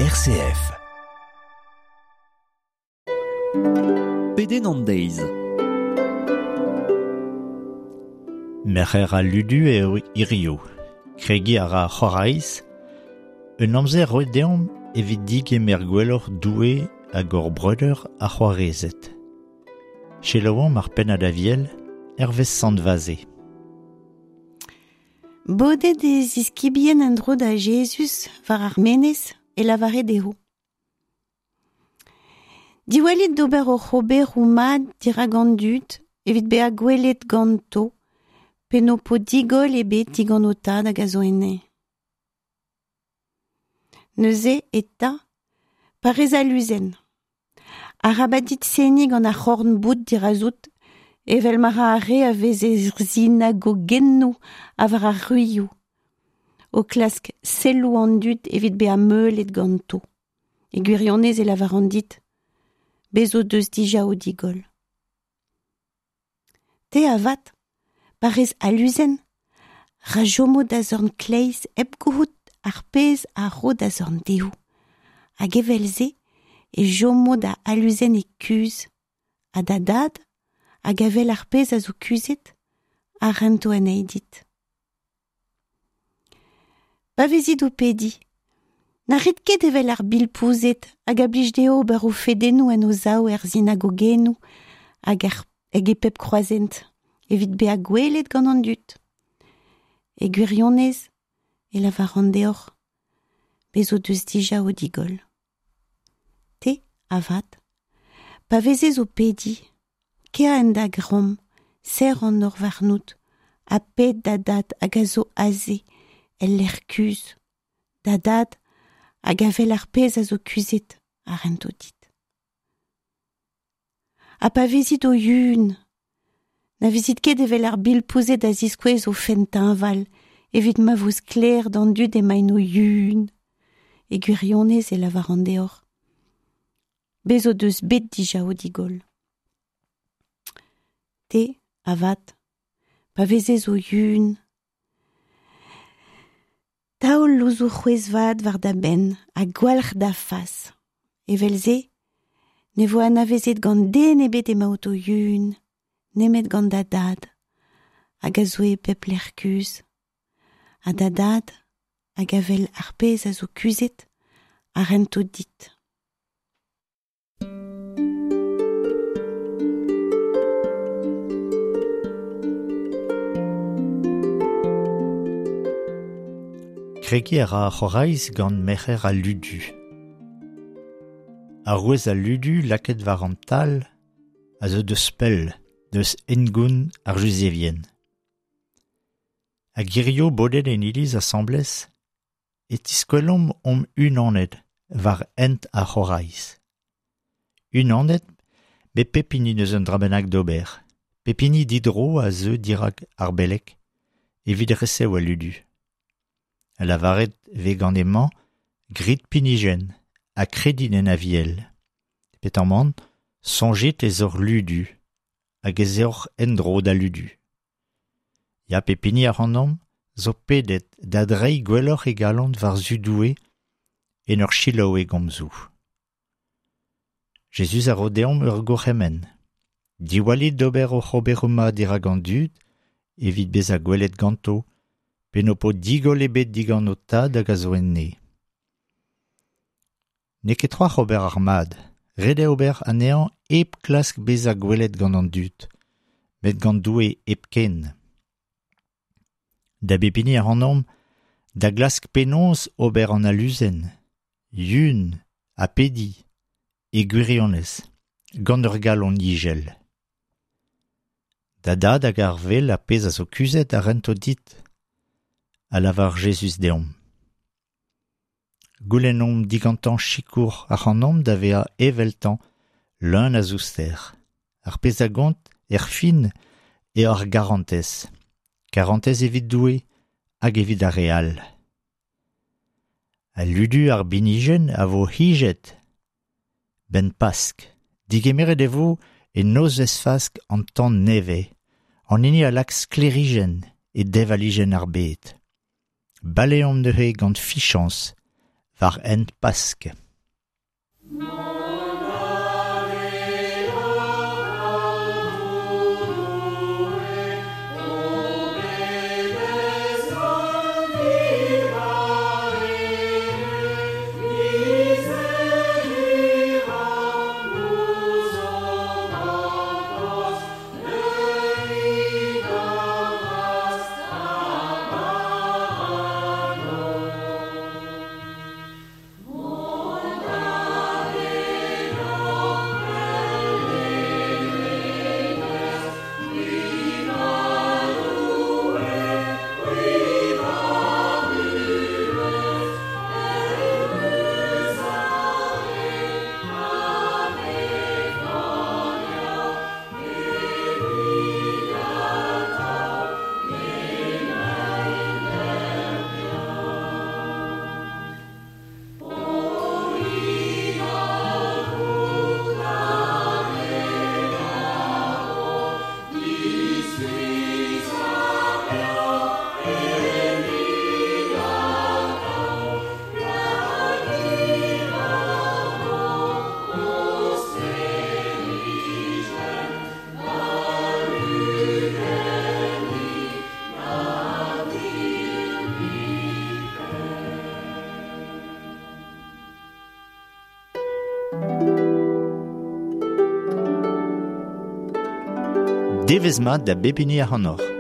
RCF. Pedenn an deiz. Merc'her al ludu eo hirio. Kregiñ a ra ar c'horaiz. Un amzer roet deomp evit digemer gwelloc'h Doue hag hor breudeur ha c'hoarezed. Selaouomp ar pennad aviel hervez Sant Vaze. Bodet e ziskibien en-dro da Jezuz war ar menez e lavare dezho. Diwallit d'ober hoc'h oberoù mat dirak an dud evit bezañ gwelet ganto pe n'ho po digoll ebet digant ho tad hag a zo enne. Neuze eta, pa rez aluzen. Arabat dit seniñ gant ar c'horn-boud dirazout evel ma ra ar re a vez er sinagogennoù ha war ar ruioù, o klask selloù an dud evit bezañ meulet ganto. E gwirionez e lavaran dit, bez o deus dija o digoll. Te avat, pa rez aluzen, ra chomo da zorn kleiz hep gouzout ar pezh a ro da zorn dehou. Hag evel-se e chomo da aluzen e kuzh, ha da dad, hag a wel ar pezh a zo kuzhet, a rento anezhi dit. Pa vezit o pediñ, na rit ket evel ar bilpouzed hag a blij dezho ober o fedennoù en o sav er sinagogennoù hag er hag e pep kroazhent, evit bezañ gwelet gant an dud. E gwirionez e lavaran deoc'h, bez o deus dija o digoll. Te, avat, pa vezez o pediñ, kea en da gambr, serr an nor warnout, ha ped da dad hag a zo aze, el lec'h kuzh. Da dad hag a wel ar pezh a zo kuzhet a rento dit. Ha pa vezit o yun, na vezit ket evel ar bilpouzed a ziskouez o fenn teñval evit ma vo sklaer d'an dud emaint o yun. E gwirionez e lavaran deoc'h. Bez o deus bet dija o digoll. Te, avat, pa vezez o yun, taol louzoù c'hwezh-vat war da benn ha gwalc'h da fas. Evel-se, ne vo anavezet gant den ebet emaout o yun, nemet gant da dad, hag a zo e pep lec'h kuzh. Ha da dad, hag a wel ar pezh a zo kuzhet, a rento dit. Kregiñ a ra ar c'horaiz gant merc'her al ludu. Arouez al ludu lakaet war an tal a zeu deus pell, deus hengoun ar Juzevien. Hag hirio bodet en iliz asambles e tiskwelomp omp unanet war hent ar c'horaiz. Unanet met pep hini n'eus un dra bennak d'ober. Pep hini didro a zeu dirak ar beleg evit resev al ludu. Ha lavaret vez gant hemañ grit pinijenn ha kredit en Aviel. Petamant, soñjit ez oc'h ludu hag ez eoc'h en-dro da ludu. Ya pep hini ac'hanomp zo pedet da dreiñ gwelloc'h e galon war-zu Doue en ur selaou e gomzoù. Jezuz a ro deomp ur gourc'hemenn. Diwallit d'ober hoc'h oberoù mat dirak an dud evit bezañ gwelet ganto pe n'ho po digoll ebet digant ho tad hag a zo enne. N'eo ket c'hoazh ober ar mad, ret eo ober anezhañ hep klask bezañ gwelet gant an dud, met gant Doue hepken. Da bep hini ac'hanomp da glask penaos ober an aluzen, yun ha pediñ, e gwirionez, gant ur galon ijel. Da dad hag ar wel ar pezh a zo kuzhet a rento dit, a lavar Jezuz deomp. Goulennomp digantañ sikour ac'hanomp da vezañ eveltañ leun a zouster. Ar pezh a gont, erfin, eo ar garantez. Karantez evit Doue hag evit ar re all. Al ludu ar binijenn a vo hijet 'benn Pask. Digemeret e vo e nozvezh Fask an tan nevez, an hini a lak sklêrijenn e deñvalijenn ar bed. Baleomp neuze gant fichañs war hent Pask. Devezh mat da bep hini ac'hanoc'h.